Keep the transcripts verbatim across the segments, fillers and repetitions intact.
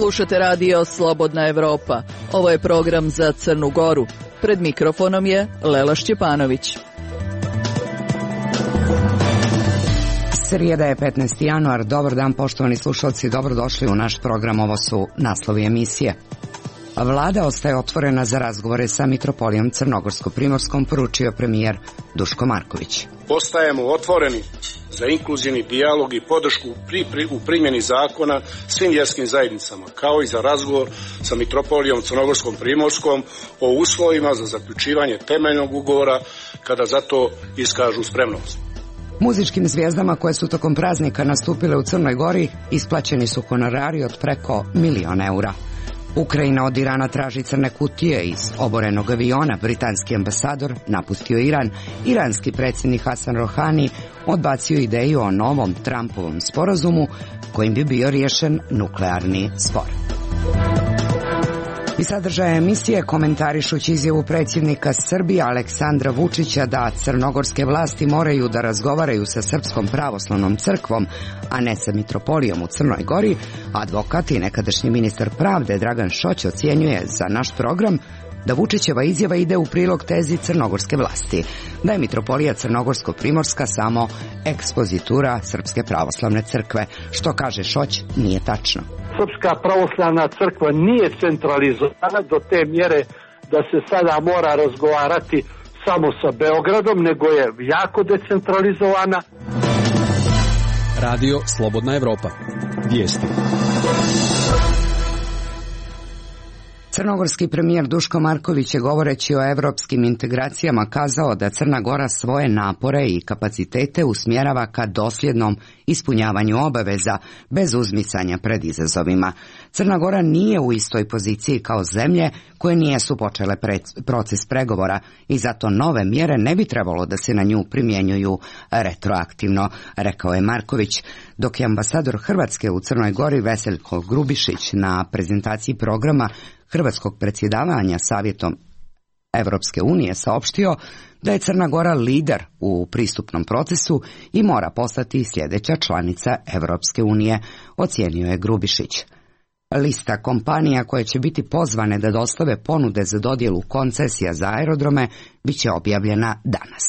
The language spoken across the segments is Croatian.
Slušate radio Slobodna Evropa. Ovo je program za Crnu Goru. Pred mikrofonom je Lela Šćepanović. Srijeda je petnaesti januar. Dobar dan, poštovani slušalci, dobrodošli u naš program. Ovo su naslovi emisije. Vlada ostaje otvorena za razgovore sa mitropolijom Crnogorsko-Primorskom, poručio premijer Duško Marković. Ostajemo otvoreni za inkluzivni dijalog i podršku pri, pri, u primjeni zakona svim vjerskim zajednicama, kao i za razgovor sa mitropolijom Crnogorsko-Primorskom o uslovima za zaključivanje temeljnog ugovora kada za to iskažu spremnost. Muzičkim zvijezdama koje su tokom praznika nastupile u Crnoj Gori isplaćeni su honorari od preko milion eura. Ukrajina od Irana traži crne kutije iz oborenog aviona. Britanski ambasador napustio Iran. Iranski predsjednik Hasan Rohani odbacio ideju o novom Trumpovom sporazumu kojim bi bio riješen nuklearni spor. I sadržaje emisije komentarišući izjavu predsjednika Srbije Aleksandra Vučića da crnogorske vlasti moraju da razgovaraju sa Srpskom pravoslavnom crkvom, a ne sa mitropolijom u Crnoj Gori, advokat i nekadašnji ministar pravde Dragan Šoć ocjenjuje za naš program da Vučićeva izjava ide u prilog tezi crnogorske vlasti, da je mitropolija Crnogorsko-Primorska samo ekspozitura Srpske pravoslavne crkve. Što kaže Šoć, nije tačno. Srpska pravoslavna crkva nije centralizovana do te mjere da se sada mora razgovarati samo sa Beogradom, nego je jako decentralizovana. Radio Slobodna Evropa. Vijesti. Crnogorski premijer Duško Marković je govoreći o evropskim integracijama kazao da Crna Gora svoje napore i kapacitete usmjerava ka dosljednom ispunjavanju obaveza bez uzmicanja pred izazovima. Crna Gora nije u istoj poziciji kao zemlje koje nijesu počele proces pregovora i zato nove mjere ne bi trebalo da se na nju primjenjuju retroaktivno, rekao je Marković, dok je ambasador Hrvatske u Crnoj Gori Veseljko Grubišić na prezentaciji programa hrvatskog predsjedavanja Savjetom Evropske unije saopštio da je Crna Gora lider u pristupnom procesu i mora postati sljedeća članica Evropske unije, ocijenio je Grubišić. Lista kompanija koje će biti pozvane da dostave ponude za dodjelu koncesija za aerodrome bit će objavljena danas.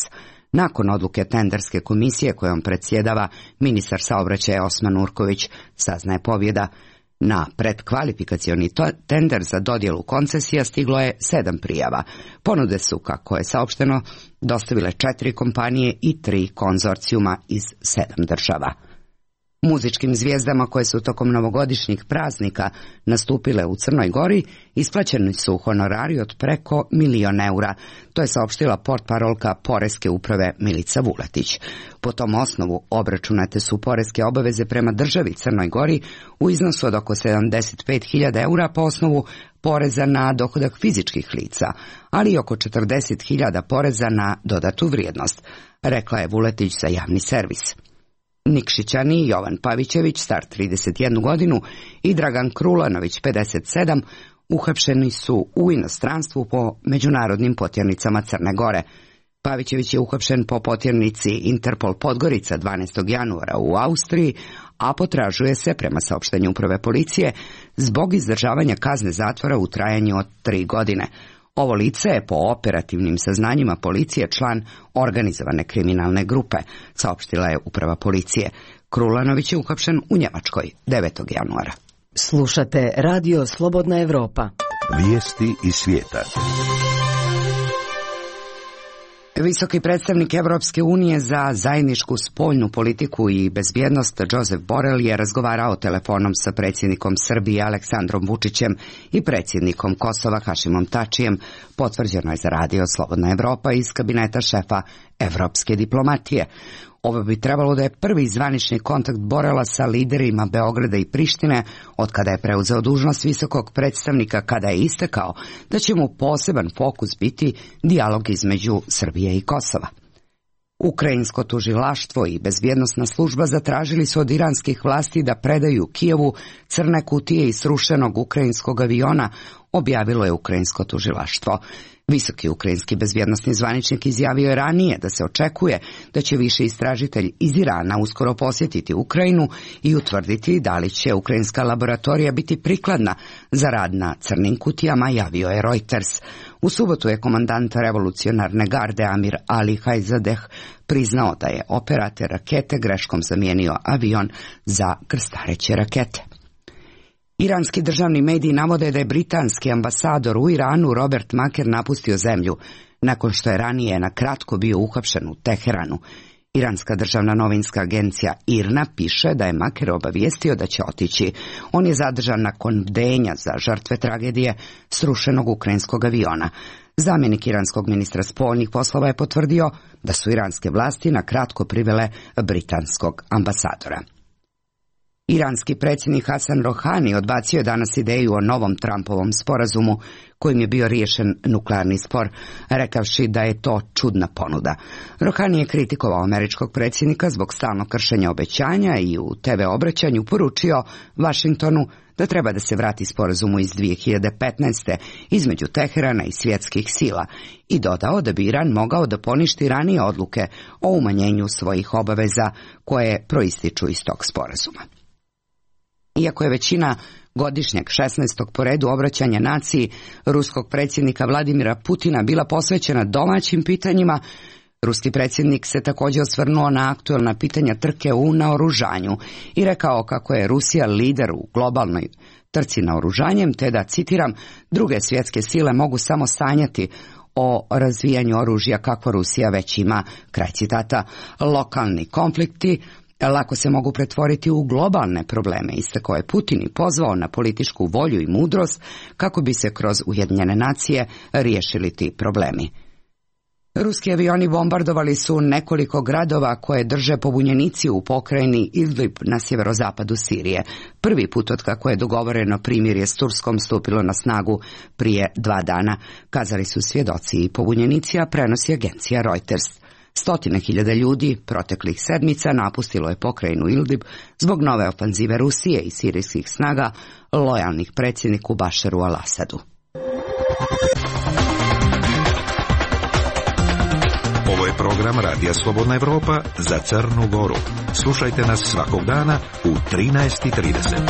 Nakon odluke tenderske komisije kojom predsjedava ministar saobraćaja Osman Urković, saznaje pobjeda. Na predkvalifikacioni tender za dodjelu koncesija stiglo je sedam prijava. Ponude su, kako je saopšteno, dostavile četiri kompanije i tri konzorcijuma iz sedam država. Muzičkim zvijezdama koje su tokom novogodišnjih praznika nastupile u Crnoj Gori isplaćeni su honorari od preko milion eura. To je saopštila portparolka Poreske uprave Milica Vuletić. Po tom osnovu obračunate su poreske obaveze prema državi Crnoj Gori u iznosu od oko sedamdeset pet hiljada eura po osnovu poreza na dohodak fizičkih lica, ali i oko četrdeset hiljada poreza na dodatu vrijednost, rekla je Vuletić za javni servis. Nikšićani Jovan Pavićević, star trideset jednu godinu, i Dragan Krulanović, pedeset sedam, uhapšeni su u inostranstvu po međunarodnim potjernicama Crne Gore. Pavićević je uhapšen po potjernici Interpol Podgorica dvanaestog januara u Austriji, a potražuje se, prema saopštenju uprave policije, zbog izdržavanja kazne zatvora u trajanju od tri godine. Ovo lice je po operativnim saznanjima policije član organizovane kriminalne grupe, saopštila je uprava policije. Krulanović je uhapšen u Njemačkoj devetog januara. Slušate Radio Slobodna Evropa. Vijesti iz svijeta. Visoki predstavnik Evropske unije za zajedničku spoljnu politiku i bezbjednost Josep Borrell je razgovarao telefonom sa predsjednikom Srbije Aleksandrom Vučićem i predsjednikom Kosova Hašimom Tačijem, potvrđeno je za radio Slobodna Evropa iz kabineta šefa evropske diplomatije. Ovo bi trebalo da je prvi zvanični kontakt Borrella sa liderima Beograda i Prištine od kada je preuzeo dužnost visokog predstavnika, kada je istakao da će mu poseban fokus biti dijalog između Srbije i Kosova. Ukrajinsko tužilaštvo i bezbjednosna služba zatražili su od iranskih vlasti da predaju Kijevu crne kutije iz srušenog ukrajinskog aviona objavilo je ukrajinsko tužilaštvo. Visoki ukrajinski bezbjednosni zvaničnik izjavio je ranije da se očekuje da će više istražitelj iz Irana uskoro posjetiti Ukrajinu i utvrditi da li će ukrajinska laboratorija biti prikladna za rad na crnim kutijama, javio je Reuters. U subotu je komandant revolucionarne garde Amir Ali Hajzadeh priznao da je operator rakete greškom zamijenio avion za krstareće rakete. Iranski državni mediji navode da je britanski ambasador u Iranu Robert Maker napustio zemlju, nakon što je ranije na kratko bio uhapšen u Teheranu. Iranska državna novinska agencija IRNA piše da je Maker obavijestio da će otići. On je zadržan nakon bdenja za žrtve tragedije srušenog ukrajinskog aviona. Zamjenik iranskog ministra spoljnih poslova je potvrdio da su iranske vlasti na kratko privele britanskog ambasadora. Iranski predsjednik Hasan Rohani odbacio je danas ideju o novom Trumpovom sporazumu kojim je bio riješen nuklearni spor, rekavši da je to čudna ponuda. Rohani je kritikovao američkog predsjednika zbog stalnog kršenja obećanja i u te ve obraćanju poručio Vašingtonu da treba da se vrati sporazumu iz dvije hiljade petnaeste. između Teherana i svjetskih sila i dodao da bi Iran mogao da poništi ranije odluke o umanjenju svojih obaveza koje proističu iz tog sporazuma. Iako je većina godišnjeg šesnaestog po redu obraćanja naciji ruskog predsjednika Vladimira Putina bila posvećena domaćim pitanjima, ruski predsjednik se također osvrnuo na aktuelna pitanja trke u naoružanju i rekao kako je Rusija lider u globalnoj trci naoružanjem, te da, citiram, druge svjetske sile mogu samo sanjati o razvijanju oružja kako Rusija već ima, kraj citata. Lokalni konflikti lako se mogu pretvoriti u globalne probleme, istakao je Putin i pozvao na političku volju i mudrost kako bi se kroz Ujedinjene nacije riješili ti problemi. Ruski avioni bombardovali su nekoliko gradova koje drže pobunjenici u pokrajini Idlib na sjeverozapadu Sirije. Prvi put od kako je dogovoreno primirje s Turskom stupilo na snagu prije dva dana, kazali su svjedoci i pobunjenici, a prenosi agencija Reuters. Stotine hiljada ljudi proteklih sedmica napustilo je pokrajinu Idlib zbog nove ofanzive Rusije i sirijskih snaga lojalnih predsjedniku Bašaru al-Asadu. Ovo je program Radija Slobodna Evropa za Crnu Goru. Slušajte nas svakog dana u trinaest i trideset.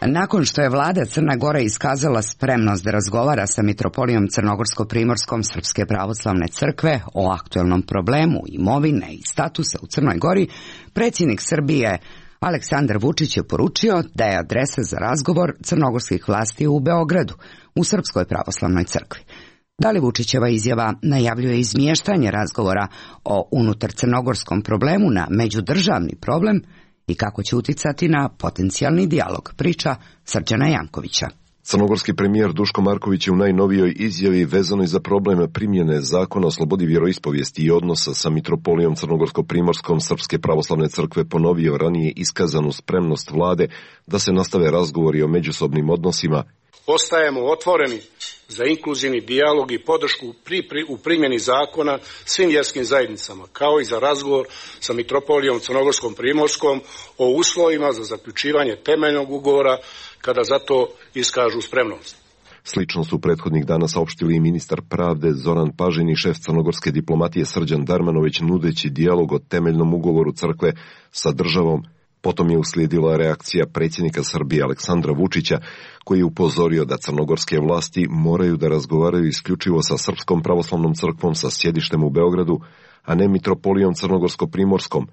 Nakon što je vlada Crne Gore iskazala spremnost da razgovara sa mitropolijom Crnogorsko-primorskom Srpske pravoslavne crkve o aktuelnom problemu imovine i statusa u Crnoj Gori, predsjednik Srbije Aleksandar Vučić je poručio da je adresa za razgovor crnogorskih vlasti u Beogradu, u Srpskoj pravoslavnoj crkvi. Da li Vučićeva izjava najavljuje izmještanje razgovora o unutar crnogorskom problemu na međudržavni problem i kako će uticati na potencijalni dijalog, priča Srđana Jankovića. Crnogorski premijer Duško Marković je u najnovijoj izjavi vezanoj za problem primjene zakona o slobodi vjeroispovijesti i odnosa sa mitropolijom Crnogorsko-primorskom Srpske pravoslavne crkve ponovio ranije iskazanu spremnost vlade da se nastave razgovori o međusobnim odnosima. Ostajemo otvoreni za inkluzivni dijalog i podršku pri, pri, u primjeni zakona svim vjerskim zajednicama, kao i za razgovor sa mitropolijom Crnogorskom primorskom o uslovima za zaključivanje temeljnog ugovora kada za to iskažu spremnost. Slično su prethodnih dana saopštili i ministar pravde Zoran Pažin i šef crnogorske diplomatije Srđan Darmanović, nudeći dijalog o temeljnom ugovoru crkve sa državom. Potom je uslijedila reakcija predsjednika Srbije Aleksandra Vučića, koji je upozorio da crnogorske vlasti moraju da razgovaraju isključivo sa Srpskom pravoslavnom crkvom sa sjedištem u Beogradu, a ne mitropolijom Crnogorsko-primorskom.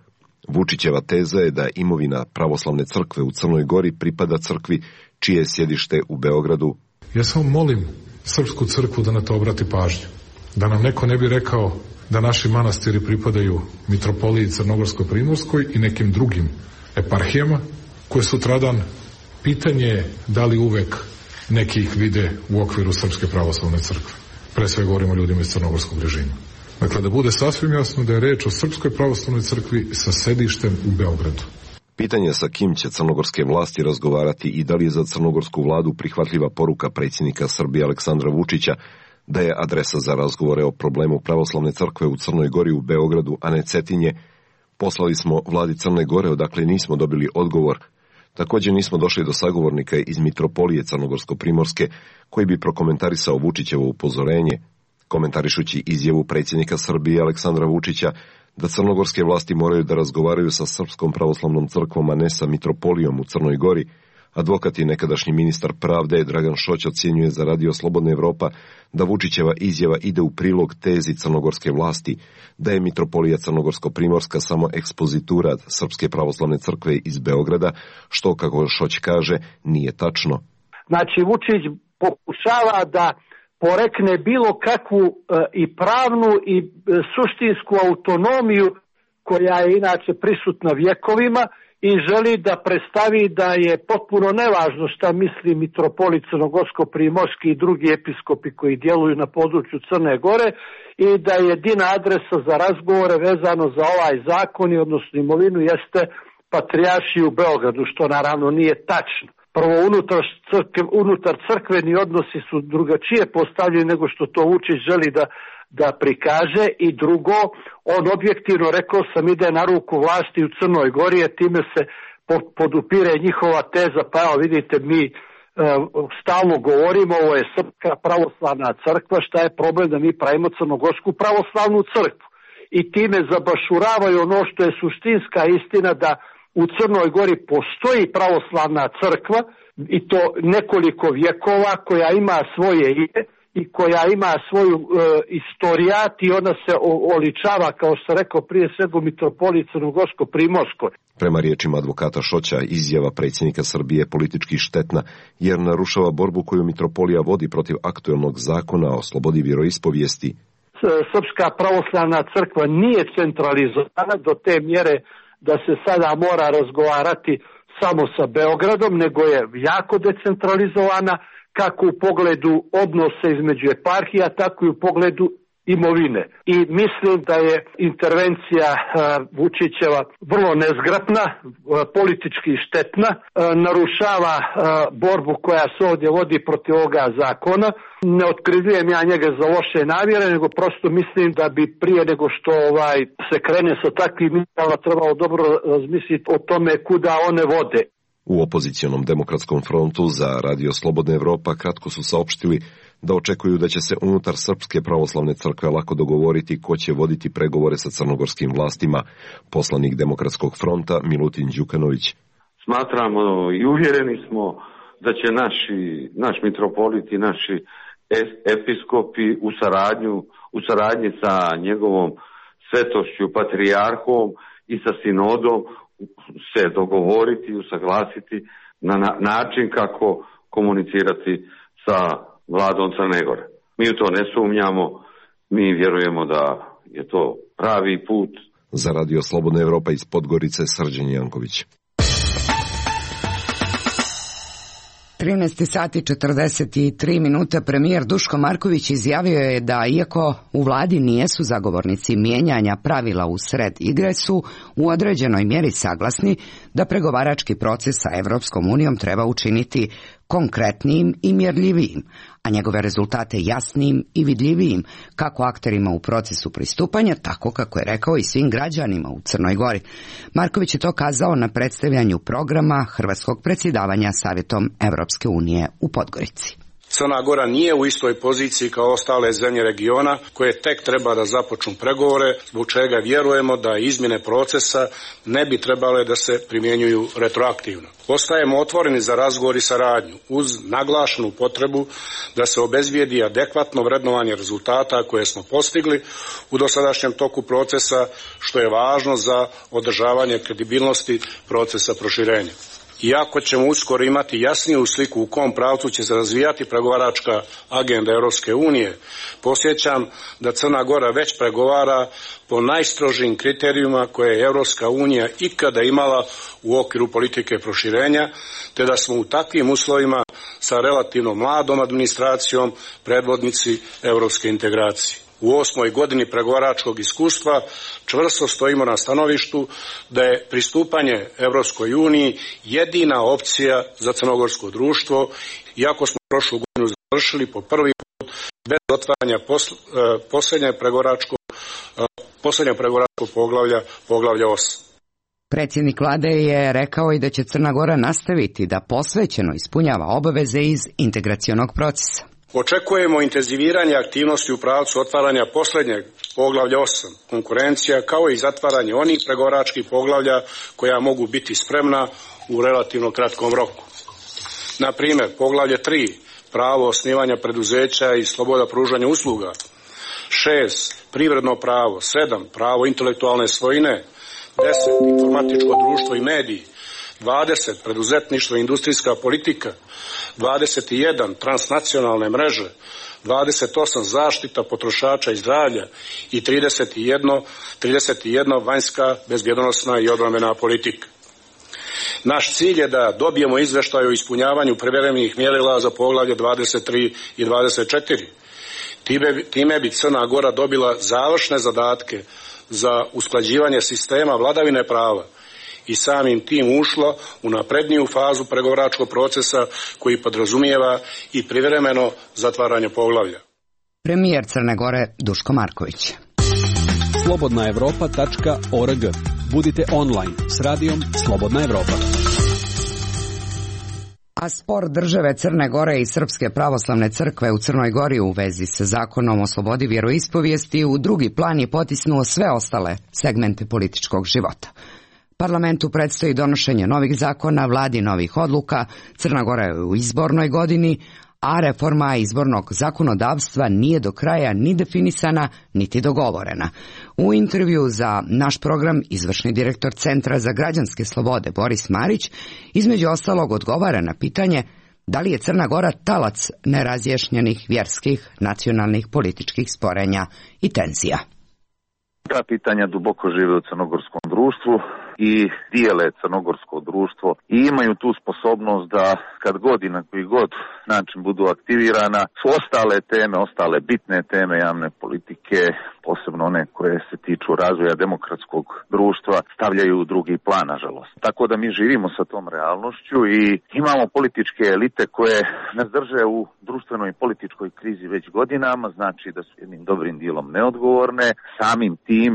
Vučićeva teza je da imovina pravoslavne crkve u Crnoj Gori pripada crkvi čije je sjedište u Beogradu. Ja samo molim Srpsku crkvu da na to obrati pažnju. Da nam neko ne bi rekao da naši manastiri pripadaju mitropoliji Crnogorsko-primorskoj i nekim drugim eparhijama, koje sutradan pitanje je da li uvek neki ih vide u okviru Srpske pravoslavne crkve. Pre sve govorimo o ljudima iz crnogorskog režima. Dakle, da bude sasvim jasno da je reč o Srpskoj pravoslavnoj crkvi sa sedištem u Beogradu. Pitanje sa kim će crnogorske vlasti razgovarati i da li je za crnogorsku vladu prihvatljiva poruka predsjednika Srbije Aleksandra Vučića da je adresa za razgovore o problemu pravoslavne crkve u Crnoj Gori u Beogradu, a ne Cetinje, Poslali smo vladi Crne Gore, odakle nismo dobili odgovor. Također nismo došli do sagovornika iz Mitropolije Crnogorsko-Primorske, koji bi prokomentarisao Vučićevo upozorenje, komentarišući izjavu predsjednika Srbije Aleksandra Vučića da crnogorske vlasti moraju da razgovaraju sa Srpskom pravoslavnom crkvom, a ne sa Mitropolijom u Crnoj Gori. Advokat i nekadašnji ministar pravde Dragan Šoć ocjenjuje za Radio Slobodna Evropa da Vučićeva izjava ide u prilog tezi crnogorske vlasti, da je Mitropolija Crnogorsko-Primorska samo ekspozitura Srpske pravoslavne crkve iz Beograda, što, kako Šoć kaže, nije tačno. Znači, Vučić pokušava da porekne bilo kakvu e, i pravnu i e, suštinsku autonomiju koja je inače prisutna vjekovima i želi da predstavi da je potpuno nevažno šta misli mitropolit Crnogorsko-Primorski i drugi episkopi koji djeluju na području Crne Gore i da je jedina adresa za razgovore vezano za ovaj zakon i odnosno imovinu jeste patrijaršija u Beogradu, što naravno nije tačno. Prvo, unutar, crkve, unutar crkveni odnosi su drugačije postavljeni nego što to Vučić želi da, da prikaže, i drugo, on objektivno, rekao sam, ide na ruku vlasti u Crnoj Gori, a time se podupire njihova teza. Pa evo vidite, mi e, stalno govorimo, ovo je Srpska pravoslavna crkva, šta je problem da mi pravimo Crnogorsku pravoslavnu crkvu, i time zabašuravaju ono što je suštinska istina, da u Crnoj Gori postoji pravoslavna crkva i to nekoliko vjekova, koja ima svoje ime i koja ima svoju e, istorijat i ona se o, oličava, kao što sam rekao, prije svega u Mitropoliji Crnogorsko-Primorskoj. Prema riječima advokata Šoća, izjava predsjednika Srbije je politički štetna jer narušava borbu koju Mitropolija vodi protiv aktuelnog zakona o slobodi vjeroispovijesti. Srpska pravoslavna crkva nije centralizovana do te mjere da se sada mora razgovarati samo sa Beogradom, nego je jako decentralizovana, kako u pogledu odnose između eparhija, tako i u pogledu imovine. I mislim da je intervencija uh, Vučićeva vrlo nezgrapna, uh, politički štetna, uh, narušava uh, borbu koja se ovdje vodi protiv ovoga zakona. Ne otkrivljujem ja njega za loše namjere, nego prosto mislim da bi prije nego što ovaj se krene sa takvim izjavama trebalo dobro razmisliti o tome kuda one vode. U opozicionom demokratskom frontu za Radio Slobodna Evropa kratko su saopštili da očekuju da će se unutar Srpske pravoslavne crkve lako dogovoriti ko će voditi pregovore sa crnogorskim vlastima. Poslanik Demokratskog fronta Milutin Đukanović. Smatramo i uvjereni smo da će naši, naš mitropolit i naši episkopi u saradnju, u saradnji sa njegovom svetošću patrijarhom i sa sinodom se dogovoriti i usaglasiti na način kako komunicirati sa vladom Crne Gore. Mi u to ne sumnjamo, mi vjerujemo da je to pravi put. Za Radio Slobodna Evropa iz Podgorice, Srđan Janković. trinaest sati i četrdeset tri minute. Premijer Duško Marković izjavio je da iako u vladi nijesu zagovornici mijenjanja pravila u sred igre, su u određenoj mjeri saglasni da pregovarački proces sa Evropskom unijom treba učiniti konkretnijim i mjerljivijim, a njegove rezultate jasnijim i vidljivijim, kako akterima u procesu pristupanja, tako, kako je rekao, i svim građanima u Crnoj Gori. Marković je to kazao na predstavljanju programa hrvatskog predsjedavanja Savjetom Evropske unije u Podgorici. Crna Gora nije u istoj poziciji kao ostale zemlje regiona koje tek treba da započnu pregovore, zbog čega vjerujemo da izmjene procesa ne bi trebale da se primjenjuju retroaktivno. Ostajemo otvoreni za razgovor i saradnju uz naglašenu potrebu da se obezbijedi adekvatno vrednovanje rezultata koje smo postigli u dosadašnjem toku procesa, što je važno za održavanje kredibilnosti procesa proširenja. Iako ćemo uskoro imati jasniju sliku u kom pravcu će se razvijati pregovaračka agenda Europske unije, podsjećam da Crna Gora već pregovara po najstrožijim kriterijima koje je Europska unija ikada imala u okviru politike proširenja, te da smo u takvim uslovima sa relativno mladom administracijom predvodnici europske integracije. U osmoj godini pregovaračkog iskustva čvrsto stojimo na stanovištu da je pristupanje Europskoj uniji jedina opcija za crnogorsko društvo, iako smo prošlu godinu završili po prvi put bez otvaranja posl- posljednjeg pregovaračkog posljednjeg pregovaračkog poglavlja, poglavlja osam. Predsjednik vlade je rekao i da će Crna Gora nastaviti da posvećeno ispunjava obaveze iz integracionog procesa. Očekujemo intenziviranje aktivnosti u pravcu otvaranja posljednjeg poglavlja osam, konkurencija, kao i zatvaranje onih pregovaračkih poglavlja koja mogu biti spremna u relativno kratkom roku. Na primjer, poglavlje tri, pravo osnivanja preduzeća i sloboda pružanja usluga, šest, privredno pravo, sedam, pravo intelektualne svojine, deset, informatičko društvo i mediji, dvadeset, preduzetništvo i industrijska politika, dvadeset jedan, transnacionalne mreže, dvadeset osam, zaštita potrošača i zdravlja i trideset jedan, trideset jedan, vanjska, bezbjednosna i obrambena politika. Naš cilj je da dobijemo izvještaj o ispunjavanju privremenih mjerila za poglavlje dvadeset tri i dvadeset četiri. Time, time bi Crna Gora dobila završne zadatke za usklađivanje sistema vladavine prava i samim tim ušlo u napredniju fazu pregovaračkog procesa koji podrazumijeva i privremeno zatvaranje poglavlja. Premijer Crne Gore Duško Marković. slobodna evropa tačka org. Budite online s radijom Slobodna Evropa. A spor države Crne Gore i Srpske pravoslavne crkve u Crnoj Gori u vezi sa zakonom o slobodi vjeroispovijesti u drugi plan je potisnuo sve ostale segmente političkog života. Parlamentu predstoji donošenje novih zakona, vladi novih odluka, Crna Gora je u izbornoj godini, a reforma izbornog zakonodavstva nije do kraja ni definisana, niti dogovorena. U intervju za naš program izvršni direktor Centra za građanske slobode Boris Marić između ostalog odgovara na pitanje da li je Crna Gora talac nerazjašnjenih vjerskih, nacionalnih, političkih sporenja i tenzija. Ta pitanja duboko žive u crnogorskom društvu i dijele crnogorsko društvo i imaju tu sposobnost da kad god i na koji god način budu aktivirana su ostale teme, ostale bitne teme javne politike, posebno one koje se tiču razvoja demokratskog društva, stavljaju u drugi plan, nažalost. Tako da mi živimo sa tom realnošću i imamo političke elite koje nas drže u društvenoj i političkoj krizi već godinama, znači da su jednim dobrim dijelom neodgovorne, samim tim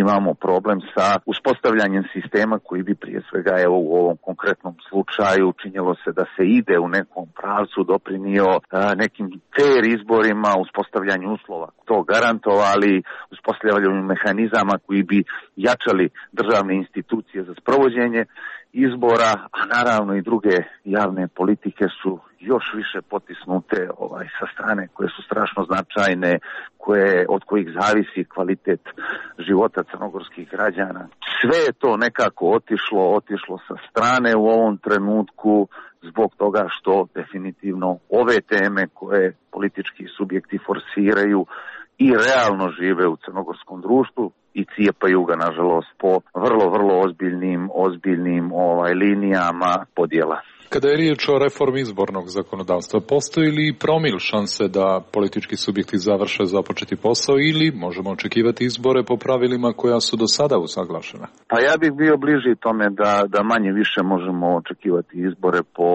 imamo problem sa uspostavljanjem sistema koji bi prije svega evo u ovom konkretnom slučaju činjelo se da se ide u nekom pravcu, doprinio a, nekim fair izborima, uspostavljanju uslova to garantovali, uspostavljanju mehanizama koji bi jačali državne institucije za sprovođenje izbora, a naravno i druge javne politike su još više potisnute ovaj, sa strane koje su strašno značajne, koje, od kojih zavisi kvalitet života crnogorskih građana. Sve je to nekako otišlo, otišlo sa strane u ovom trenutku zbog toga što definitivno ove teme koje politički subjekti forsiraju i realno žive u crnogorskom društvu i cijepaju ga, nažalost, po vrlo, vrlo ozbiljnim, ozbiljnim ovaj, linijama podjela. Kada je riječ o reformi izbornog zakonodavstva, postoji li promil šanse da politički subjekti završe započeti posao ili možemo očekivati izbore po pravilima koja su do sada usaglašena? Pa ja bih bio bliži tome da, da manje više možemo očekivati izbore po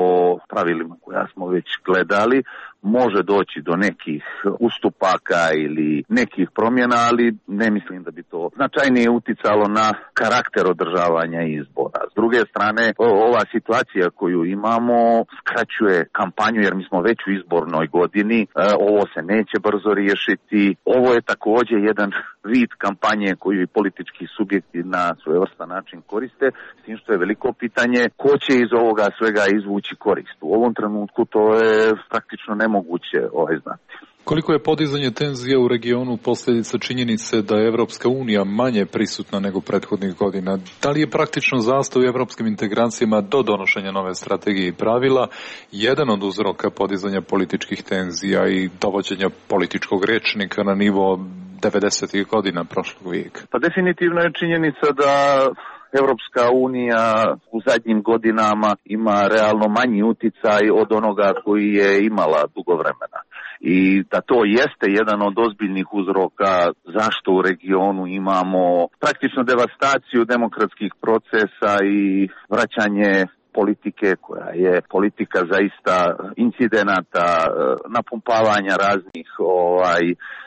pravilima koja smo već gledali. Može doći do nekih ustupaka ili nekih promjena, ali ne mislim da bi to značajnije uticalo na karakter održavanja izbora. S druge strane, ova situacija koju imamo skraćuje kampanju jer mi smo već u izbornoj godini, ovo se neće brzo riješiti. Ovo je također jedan vid kampanje koju i politički subjekti na svojevrstan način koriste, s tim što je veliko pitanje ko će iz ovoga svega izvući korist. U ovom trenutku to je praktično nemoguće moguće ovaj znati. Koliko je podizanje tenzija u regionu posljedica činjenice da je Evropska unija manje prisutna nego prethodnih godina? Da li je praktično zastoj u evropskim integracijama do donošenja nove strategije i pravila jedan od uzroka podizanja političkih tenzija i dovođenja političkog rečnika na nivo devedesetih godina prošlog vijeka? Pa definitivno je činjenica da Evropska unija u zadnjim godinama ima realno manji uticaj od onoga koji je imala dugo vremena. I da to jeste jedan od ozbiljnih uzroka zašto u regionu imamo praktično devastaciju demokratskih procesa i vraćanje politike koja je politika zaista incidenata, napumpavanja raznih ovaj,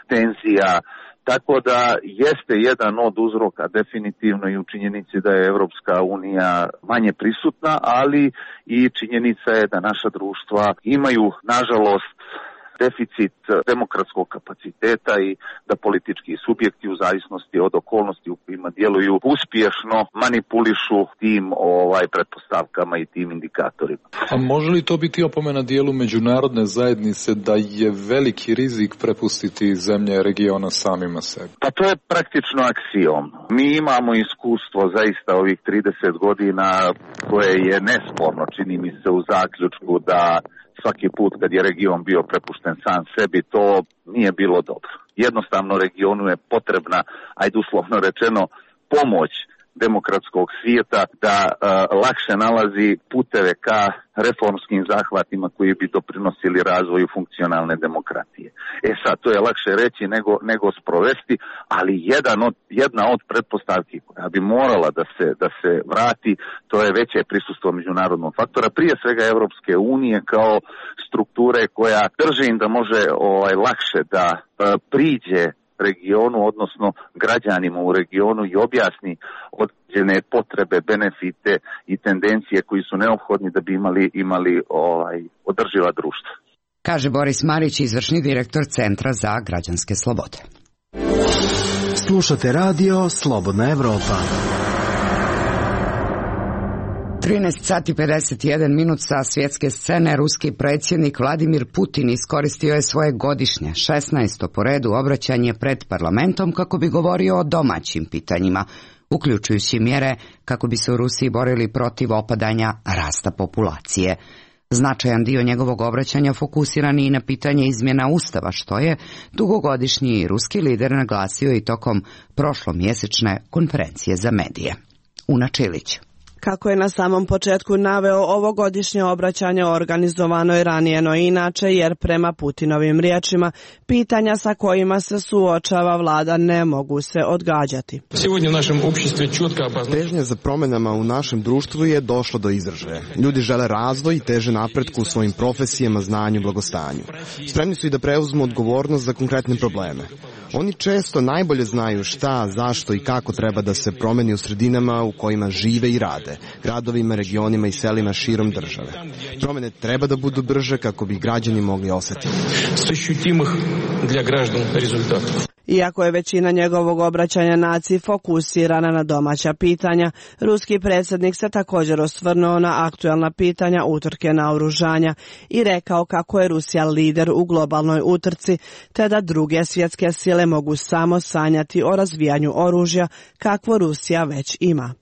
tenzija. Tako da jeste jedan od uzroka definitivno i u činjenici da je Evropska unija manje prisutna, ali i činjenica je da naša društva imaju, nažalost, deficit demokratskog kapaciteta i da politički subjekti u zavisnosti od okolnosti u kojima djeluju uspješno manipulišu tim ovaj pretpostavkama i tim indikatorima. A može li to biti opomena dijelu međunarodne zajednice da je veliki rizik prepustiti zemlje regiona samima sebi? Pa to je praktično aksiom. Mi imamo iskustvo zaista ovih trideset godina koje je nesporno, čini mi se, u zaključku da svaki put kad je region bio prepušten sam sebi, to nije bilo dobro. Jednostavno regionu je potrebna, ajde uslovno rečeno, pomoć demokratskog svijeta da uh, lakše nalazi puteve ka reformskim zahvatima koji bi doprinosili razvoju funkcionalne demokratije. E sad, to je lakše reći nego, nego sprovesti, ali jedan od, jedna od pretpostavki koja bi morala da se, da se vrati, to je veće prisustvo međunarodnog faktora, prije svega Evropske unije kao strukture koja držim da može ovaj, lakše da uh, priđe regionu, odnosno građanima u regionu i objasni određene potrebe, benefite i tendencije koji su neophodni da bi imali, imali ovaj, održiva društva. Kaže Boris Marić, izvršni direktor Centra za građanske slobode. Slušate radio Slobodna Evropa. trinaest sati pedeset jedan minut sa svjetske scene. Ruski predsjednik Vladimir Putin iskoristio je svoje godišnje šesnaesto po redu obraćanje pred parlamentom kako bi govorio o domaćim pitanjima, uključujući mjere kako bi se u Rusiji borili protiv opadanja rasta populacije. Značajan dio njegovog obraćanja fokusiran i na pitanje izmjena Ustava, što je dugogodišnji ruski lider naglasio i tokom prošlomjesečne konferencije za medije. Una Čilić. Kako je na samom početku naveo, ovogodišnje obraćanje organizovano je ranije no inače, jer prema Putinovim riječima pitanja sa kojima se suočava vlada ne mogu se odgađati. Težnja za promjenama u našem društvu je došla do izražaja. Ljudi žele razvoj i teže napretku u svojim profesijama, znanju, blagostanju. Spremni su i da preuzmu odgovornost za konkretne probleme. Oni često najbolje znaju šta, zašto i kako treba da se promeni u sredinama u kojima žive i rade, gradovima, regionima i selima širom države. Promjene treba da budu brže kako bi građani mogli osjetiti. Iako je većina njegovog obraćanja naciji fokusirana na domaća pitanja, ruski predsjednik se također osvrnuo na aktualna pitanja utrke naoružanja i rekao kako je Rusija lider u globalnoj utrci, te da druge svjetske sile mogu samo sanjati o razvijanju oružja kakvo Rusija već ima.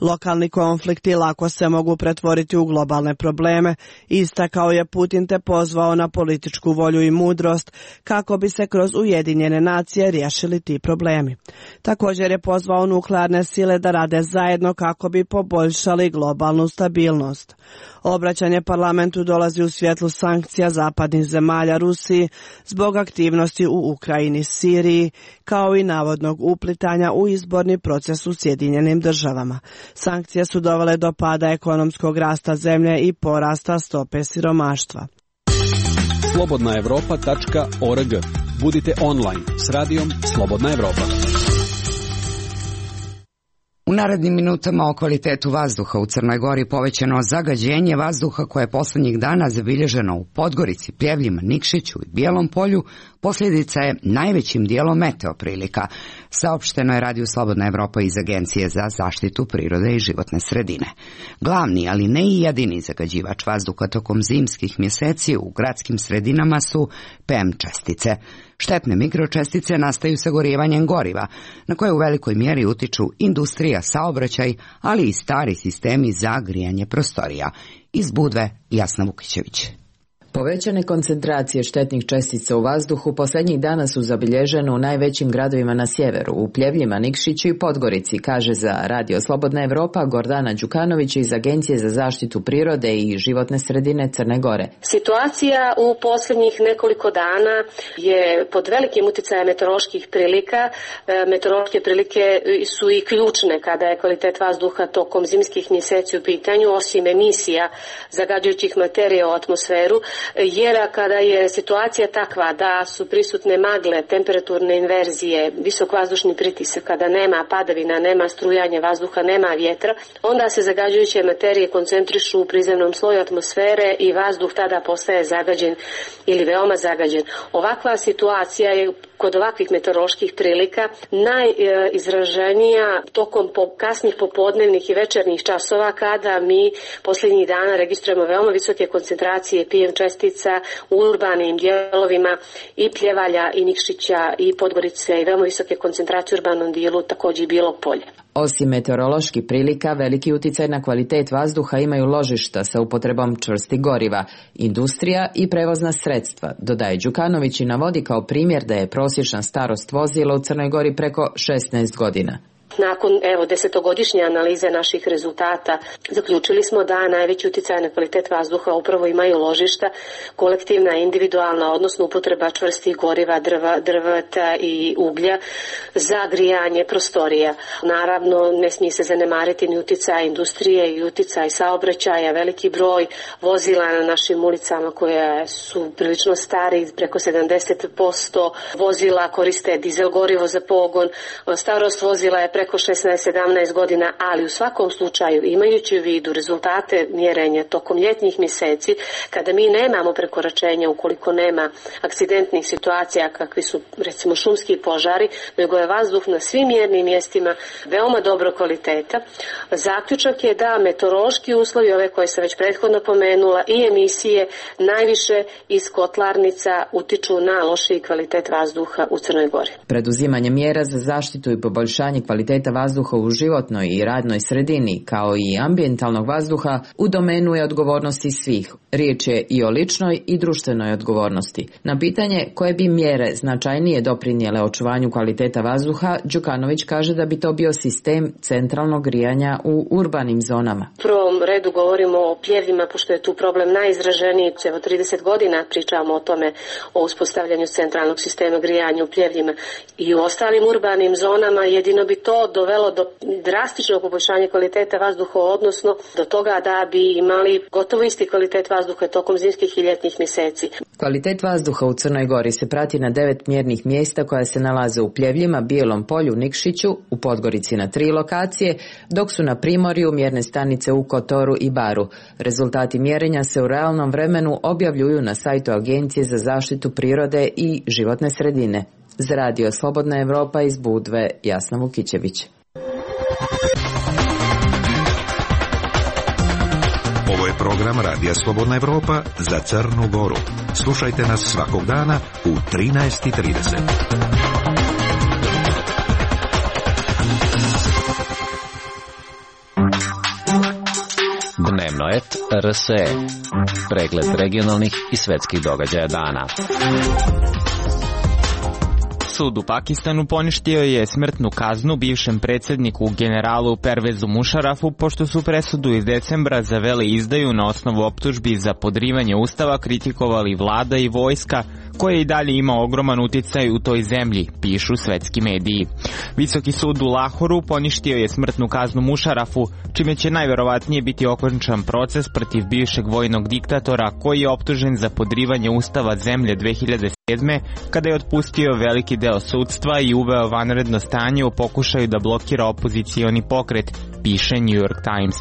Lokalni konflikti lako se mogu pretvoriti u globalne probleme, istakao je Putin te pozvao na političku volju i mudrost kako bi se kroz Ujedinjene nacije riješili ti problemi. Također je pozvao nuklearne sile da rade zajedno kako bi poboljšali globalnu stabilnost. Obraćanje parlamentu dolazi u svjetlu sankcija zapadnih zemalja Rusiji zbog aktivnosti u Ukrajini, Siriji, kao i navodnog uplitanja u izborni proces u Sjedinjenim državama. Sankcije su dovele do pada ekonomskog rasta zemlje i porasta stope siromaštva. slobodna evropa tačka org. Budite online s radijom Slobodna Evropa. U narednim minutama o kvalitetu vazduha u Crnoj Gori. Povećano zagađenje vazduha koje je posljednjih dana zabilježeno u Podgorici, Pljevljima, Nikšiću i Bijelom Polju posljedica je najvećim dijelom meteo prilika. Saopšteno je Radiju Slobodna Evropa iz Agencije za zaštitu prirode i životne sredine. Glavni, ali ne i jedini zagađivač vazduha tokom zimskih mjeseci u gradskim sredinama su P M čestice. Štetne mikročestice nastaju sagorijevanjem goriva, na koje u velikoj mjeri utiču industrija, saobraćaj, ali i stari sistemi za grijanje prostorija. Iz Budve, Jasna Vukićević. Povećane koncentracije štetnih čestica u vazduhu posljednjih dana su zabilježene u najvećim gradovima na sjeveru, u Pljevljima, Nikšiću i Podgorici, kaže za Radio Slobodna Evropa Gordana Đukanović iz Agencije za zaštitu prirode i životne sredine Crne Gore. Situacija u posljednjih nekoliko dana je pod velikim uticajem meteoroloških prilika. Meteorološke prilike su i ključne kada je kvalitet vazduha tokom zimskih mjeseci u pitanju, osim emisija zagađujućih materija u atmosferu. jer kada je situacija takva da su prisutne magle, temperaturne inverzije, visok vazdušni pritisak, kada nema padavina, nema strujanja vazduha, nema vjetra, onda se zagađujuće materije koncentrišu u prizemnom sloju atmosfere i vazduh tada postaje zagađen ili veoma zagađen. Ovakva situacija je kod ovakvih meteoroloških prilika najizraženija tokom kasnih popodnevnih i večernjih časova, kada mi posljednjih dana registrujemo veoma visoke koncentracije P M čestica u urbanim dijelovima i Pljevalja i Nikšića i Podgorice i veoma visoke koncentracije u urbanom dijelu također i Bijelog Polja. Osim meteoroloških prilika, veliki utjecaj na kvalitet vazduha imaju ložišta sa upotrebom čvrstih goriva, industrija i prevozna sredstva, dodaje Đukanović i navodi kao primjer da je prosječna starost vozila u Crnoj Gori preko šesnaest godina. Nakon evo desetogodišnje analize naših rezultata zaključili smo da najveći utjecaj na kvalitet vazduha upravo imaju ložišta, kolektivna, individualna, odnosno upotreba čvrstih goriva, drva, drveta i uglja za grijanje prostorija. Naravno, ne smije se zanemariti ni utjecaj industrije i utjecaj saobraćaja, veliki broj vozila na našim ulicama koje su prilično stari, preko sedamdeset posto vozila koriste dizel gorivo za pogon, starost vozila je preko šesnaest sedamnaest godina, ali u svakom slučaju, imajući u vidu rezultate mjerenja tokom ljetnih mjeseci, kada mi nemamo prekoračenja, ukoliko nema akcidentnih situacija kakvi su recimo šumski požari, nego je vazduh na svim mjernim mjestima veoma dobro kvaliteta. Zaključak je da meteorološki uslovi, ove koje sam već prethodno pomenula, i emisije najviše iz kotlarnica utiču na lošiji kvalitet vazduha u Crnoj Gori. Preduzimanje mjera za zaštitu i poboljšanje kvaliteta vazduha u životnoj i radnoj sredini, kao i ambijentalnog vazduha, u domenu je odgovornosti svih. Riječ je i o ličnoj i društvenoj odgovornosti. Na pitanje koje bi mjere značajnije doprinijele očuvanju kvaliteta vazduha, Đukanović kaže da bi to bio sistem centralnog grijanja u urbanim zonama. U prvom redu govorimo o pljevima, pošto je tu problem najizraženiji. Evo trideset godina pričamo o tome, o uspostavljanju centralnog sistema grijanja u pljevljima i u ostalim urbanim zonama. Jedino bi to dovelo do drastičnog poboljšanja kvaliteta vazduha, odnosno do toga da bi imali gotovo isti kvalitet vazduha tokom zimskih i ljetnih mjeseci. Kvalitet vazduha u Crnoj Gori se prati na devet mjernih mjesta koja se nalaze u Pljevljima, Bijelom Polju, Nikšiću, u Podgorici na tri lokacije, dok su na Primorju mjerne stanice u Kotoru i Baru. Rezultati mjerenja se u realnom vremenu objavljuju na sajtu Agencije za zaštitu prirode i životne sredine. Za Radio Slobodna Evropa iz Budve, Jasna Vukićević. Ovo je program Radija Slobodna Evropa za Crnu Goru. Slušajte nas svakog dana u trinaest i trideset. Dnevnoet R S E. Pregled regionalnih i svetskih događaja dana. Sud u Pakistanu poništio je smrtnu kaznu bivšem predsjedniku generalu Pervezu Mušarafu, pošto su presudu iz decembra za veleizdaju na osnovu optužbi za podrivanje ustava kritikovali vlada i vojska, koje i dalje ima ogroman uticaj u toj zemlji, pišu svetski mediji. Visoki sud u Lahoru poništio je smrtnu kaznu Mušarafu, čime će najverovatnije biti okončan proces protiv bivšeg vojnog diktatora koji je optužen za podrivanje ustava zemlje dve hiljade sedme. kada je otpustio veliki deo sudstva i uveo vanredno stanje u pokušaju da blokira opozicioni pokret, piše New York Times.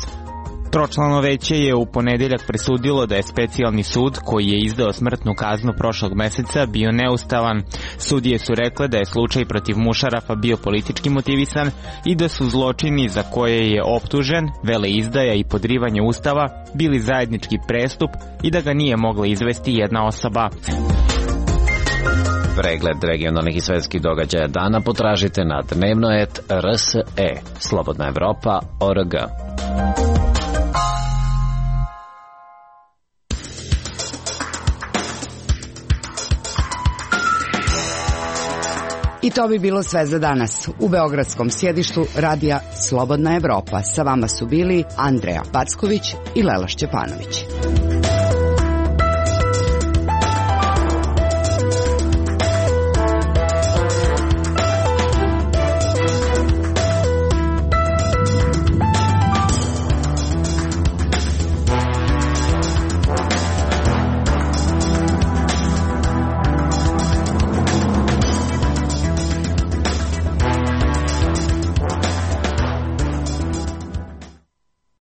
Tročlano veće je u ponedjeljak presudilo da je specijalni sud, koji je izdao smrtnu kaznu prošlog meseca, bio neustavan. Sudije su rekle da je slučaj protiv Mušarafa bio politički motivisan i da su zločini za koje je optužen, veleizdaja i podrivanje ustava, bili zajednički prestup i da ga nije mogla izvesti jedna osoba. Pregled regionalnih i svetskih događaja dana potražite na dnevnoet R S E, Slobodna Evropa, O R G. I to bi bilo sve za danas. U beogradskom sjedištu radija Slobodna Evropa sa vama su bili Andreja Packović i Lela Šćepanović.